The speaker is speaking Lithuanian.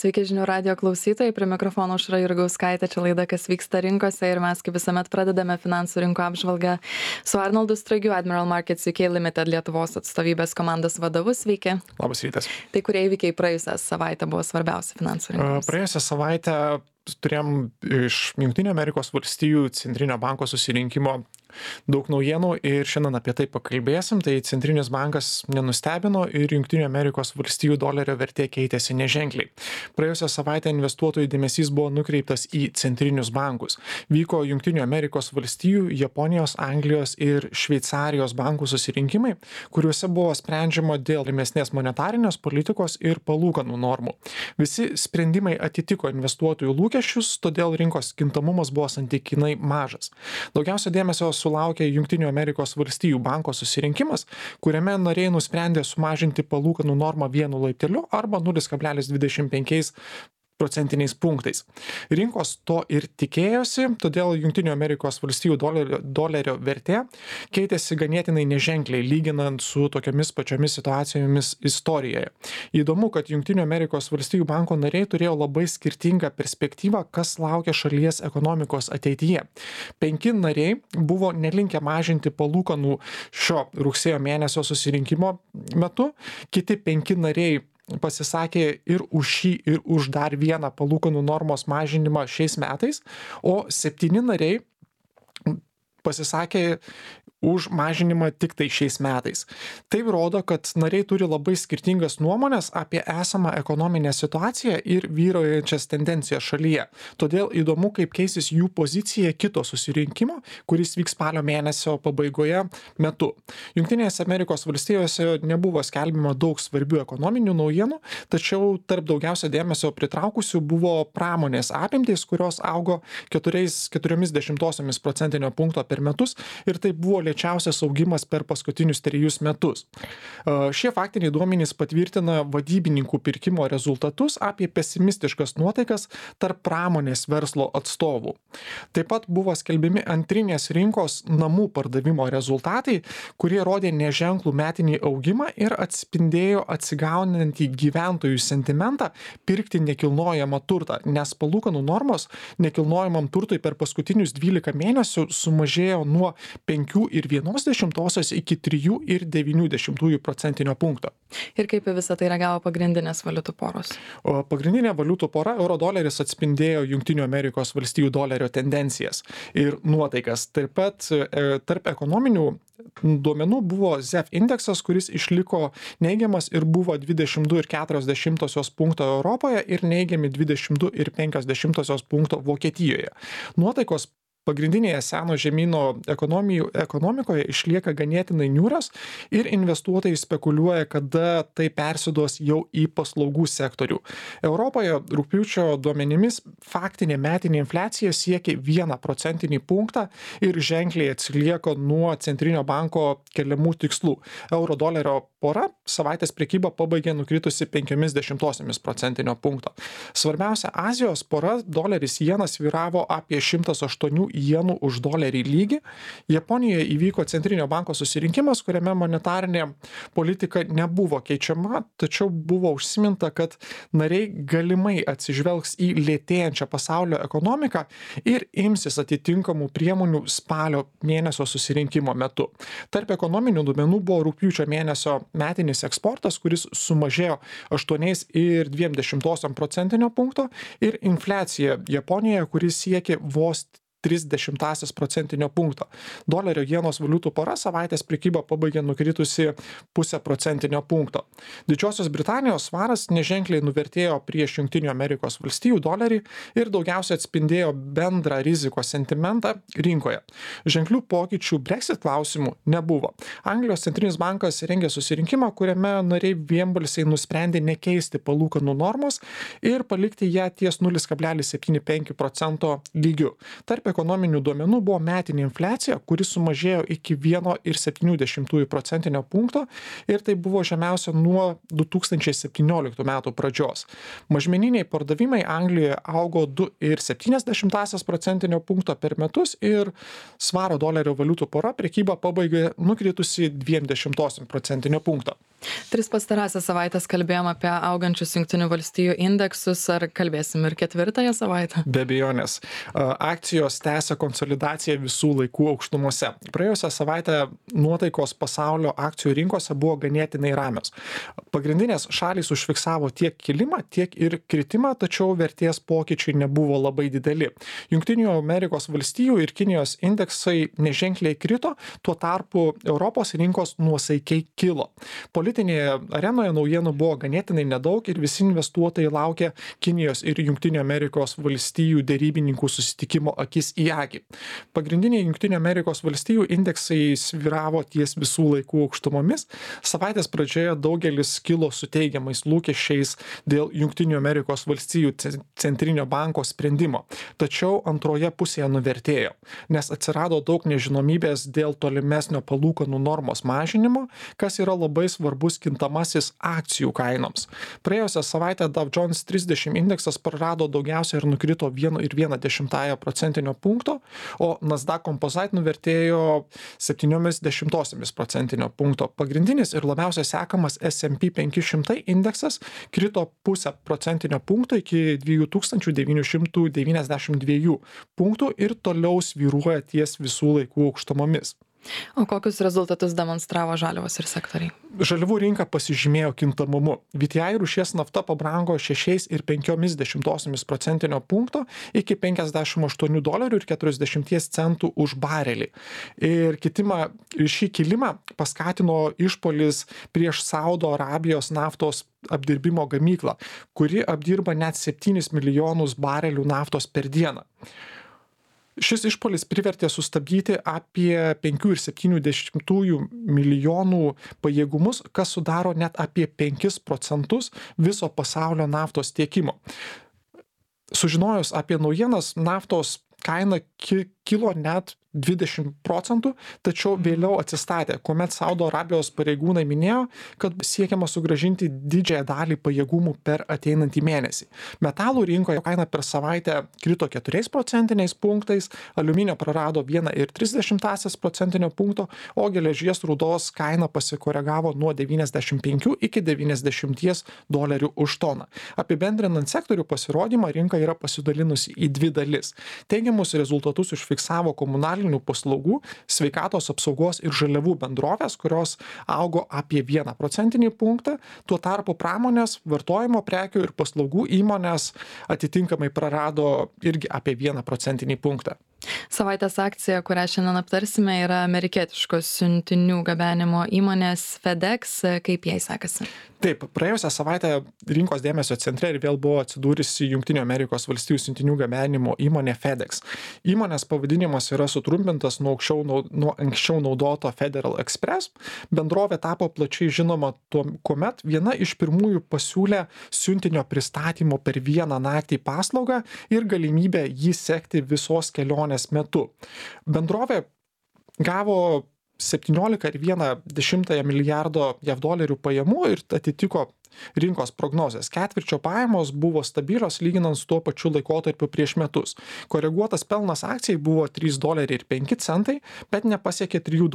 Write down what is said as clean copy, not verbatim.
Sveiki žinių radio klausytojai, prie mikrofono Aušra Jurgauskaitė, čia laida Kas vyksta rinkose ir mes kaip visuomet pradedame finansų rinko apžvalgą su Arnoldu Straigiu, Admiral Markets UK Limited Lietuvos atstovybės komandos vadovu. Sveiki. Labas rytas. Tai kurie įvykiai praėjusią savaitę buvo svarbiausi finansų rinkose? Praėjusią savaitę turėjom iš Jungtinių Amerikos valstijų centrinio banko susirinkimo daug naujienų ir šiandien apie tai pakalbėsim. Tai centrinis bankas nenustebino ir Jungtinių Amerikos valstijų dolerio vertė keitėsi neženkliai. Praėjusią savaitę investuotojų dėmesys buvo nukreiptas į centrinius bankus. Vyko Jungtinių Amerikos valstijų, Japonijos, Anglijos ir Šveicarijos bankų susirinkimai, kuriuose buvo sprendžiama dėl rimesnės monetarinės politikos ir palūkanų normų. Visi sprendimai atitiko investuotojų lūkesčius, todėl rinkos kintamumas buvo santykinai mažas. Daugiausia dėmesio sulaukė Jungtinių Amerikos valstijų banko susirinkimas, kuriame nariai nusprendė sumažinti palūkanų normą 1 laipteliu arba 0,25 procentiniais punktais. Rinkos to ir tikėjosi, todėl Jungtinių Amerikos valstijų dolerio vertė keitėsi ganėtinai neženkliai, lyginant su tokiamis pačiomis situacijomis istorijoje. Įdomu, kad Jungtinių Amerikos valstijų banko nariai turėjo labai skirtingą perspektyvą, kas laukia šalies ekonomikos ateityje. 5 nariai buvo nelinkę mažinti palūkanų šio rugsėjo mėnesio susirinkimo metu, kiti 5 nariai pasisakė ir už šį, ir už dar vieną palūkanų normos mažinimą šiais metais, o 7 nariai pasisakė už mažinimą tik tai šiais metais. Tai rodo, kad nariai turi labai skirtingas nuomonės apie esamą ekonominę situaciją ir vyraujančias tendencijas šalyje. Todėl įdomu, kaip keisis jų pozicija kito susirinkimo, kuris vyks spalio mėnesio pabaigoje metu. Jungtinėse Amerikos valstijose nebuvo skelbima daug svarbių ekonominių naujienų, tačiau tarp daugiausia dėmesio pritraukusių buvo pramonės apimtys, kurios augo 0,4 procentinio punkto per metus ir tai buvo lėčiausias augimas per paskutinius 3 metus. Šie faktiniai duomenys patvirtina vadybininkų pirkimo rezultatus apie pesimistiškas nuotaikas tarp pramonės verslo atstovų. Taip pat buvo skelbiami antrinės rinkos namų pardavimo rezultatai, kurie rodė neženklų metinį augimą ir atspindėjo atsigaunantį gyventojų sentimentą pirkti nekilnojamą turtą, nes palūkanų normos nekilnojamam turtui per paskutinius 12 mėnesių sumažėjo nuo 5,1 iki 3,9 procentinio punkto. Ir kaip į visą tai reagavo pagrindinės valiutų poros? Pagrindinė valiutų pora eurodoleris atspindėjo Jungtinių Amerikos valstijų dolerio tendencijas ir nuotaikas. Taip pat tarp ekonominių duomenų buvo ZEV indeksas, kuris išliko neigiamas ir buvo 22,4 punkto Europoje ir neigiami 22,5 punkto Vokietijoje. Nuotaikos pagrindinėje seno žemyno ekonomikoje išlieka ganėtinai niūrios ir investuotojai spekuliuoja, kada tai persiduos jau į paslaugų sektorių. Europoje rugpjūčio duomenimis faktinė metinė infliacija siekia 1 procentinį punktą ir ženkliai atsilieka nuo centrinio banko keliamų tikslų. Euro dolerio pora savaitės prekybą pabaigė nukritusi 0,5 procentinio punkto. Svarbiausia Azijos pora doleris jenas vyravo apie 108 jenų už dolerį lygį. Japonijoje įvyko centrinio banko susirinkimas, kuriame monetarinė politika nebuvo keičiama, tačiau buvo užsiminta, kad nariai galimai atsižvelgs į lėtėjančią pasaulio ekonomiką ir imsis atitinkamų priemonių spalio mėnesio susirinkimo metu. Tarp ekonominių duomenų buvo rugpjūčio mėnesio metinis eksportas, kuris sumažėjo 8,2 procentinio punkto ir infliacija Japonijoje, kuris siekė vos 0,3 procentinio punkto. Dolerio jenos valiutų pora savaitės prekybą pabaigė nukritusi 0,5 procentinio punkto. Didžiosios Britanijos svaras neženkliai nuvertėjo prieš Jungtinių Amerikos valstijų dolerį ir daugiausia atspindėjo bendrą rizikos sentimentą rinkoje. Ženklių pokyčių Brexit klausimų nebuvo. Anglijos centrinis bankas rengė susirinkimą, kuriame nariai vienbalsiai nusprendė nekeisti palūkanų normos ir palikti ją ties 0,75 procento lygiu. Tarp ekonominių duomenų buvo metinė infliacija, kuri sumažėjo iki 1,7 procentinio punkto ir tai buvo žemiausia nuo 2017 metų pradžios. Mažmeniniai pardavimai Anglijoje augo 2,7 procentinio punkto per metus ir svaro dolerio valiutų pora prekybą pabaigė nukritusi 0,2 procentinio punkto. Tris pastarąsias savaitės kalbėjom apie augančius Junktinių valstijų indeksus, ar kalbėsim ir ketvirtąją savaitę? Be abejonės. Akcijos tęsia konsolidaciją visų laikų aukštumose. Praėjusią savaitę nuotaikos pasaulio akcijų rinkose buvo ganėtinai ramios. Pagrindinės šalys užfiksavo tiek kilimą, tiek ir kritimą, tačiau vertės pokyčiai nebuvo labai dideli. Junktinių Amerikos valstijų ir Kinijos indeksai neženkliai krito, tuo tarpu Europos rinkos nuosaikiai kilo. Politinėje arenoje naujienų buvo ganėtinai nedaug ir visi investuotojai laukia Kinijos ir Junktinių Amerikos valstijų dėrybininkų susitikimo akis į akį. Pagrindiniai Junktinių Amerikos valstijų indeksai sviravo ties visų laikų aukštumomis. Savaitės pradžioje daugelis kilo su teigiamais lūkesčiais dėl Junktinių Amerikos valstijų centrinio banko sprendimo. Tačiau antroje pusėje nuvertėjo, nes atsirado daug nežinomybės dėl tolimesnio palūkanų normos mažinimo, kas yra labai svarbus kintamasis akcijų kainoms. Praėjusią savaitę Dow Jones 30 indeksas prarado daugiausiai ir nukrito 1,1 punkto, o Nasdaq Composite nuvertėjo 0,7 procentinio punkto. Pagrindinis ir labiausiai sekamas S&P 500 indeksas krito 0,5 procentinio punkto iki 2992 punktų ir toliau svyruoja ties visų laikų aukštumomis. O kokius rezultatus demonstravo žaliavos ir sektoriai? Žaliavų rinka pasižymėjo kintamumu. VTI rūšies nafta pabrango 6,5 procentinio punkto iki $58,40 už barelį. Ir šį kilimą paskatino išpuolis prieš Saudo Arabijos naftos apdirbimo gamyklą, kuri apdirba net 7 milijonus barelių naftos per dieną. Šis išpuolis privertė sustabdyti apie 5,7 milijonų pajėgumus, kas sudaro net apie 5% viso pasaulio naftos tiekimo. Sužinojus apie naujienas, naftos kaina kilo net 20%, tačiau vėliau atsistatė, kuomet Saudo Arabijos pareigūnai minėjo, kad siekiama sugrąžinti didžiąją dalį pajėgumų per ateinantį mėnesį. Metalų rinkoje kaina per savaitę krito 4 procentiniais punktais, aliuminio prarado 1,3 procentinio punkto, o geležies rūdos kaina pasikoregavo nuo 95 iki $90 už toną. Apibendrinant sektorių pasirodymą, rinka yra pasidalinusi į dvi dalis. Teigiamus rezultatus užfiksavo komunalinių paslaugų, sveikatos apsaugos ir žaliavų bendrovės, kurios augo apie 1 procentinį punktą, tuo tarpu pramonės, vartojimo prekių ir paslaugų įmonės atitinkamai prarado irgi apie 1 procentinį punktą. Savaitės akcija, kurią šiandien aptarsime, yra amerikietiškos siuntinių gabenimo įmonės FedEx. Kaip jai sekasi? Taip, praėjusią savaitę rinkos dėmesio centre ir vėl buvo atsidūrusi Junktinių Amerikos valstijų siuntinių gabenimo įmonė FedEx. Įmonės pavadinimas yra sutrumpintas nuo anksčiau naudoto Federal Express. Bendrovė tapo plačiai žinoma kuomet viena iš pirmųjų pasiūlė siuntinio pristatymo per vieną naktį paslaugą ir galimybę jį sekti visos kelionės metu. Bendrovė gavo 17,1 milijardo JAV dolerių pajamų ir atitiko rinkos prognozės. Ketvirčio pajamos buvo stabilios lyginant su tuo pačiu laikotarpiu prieš metus. Koreguotas pelnas akcijai buvo $3,05, bet nepasiekė $3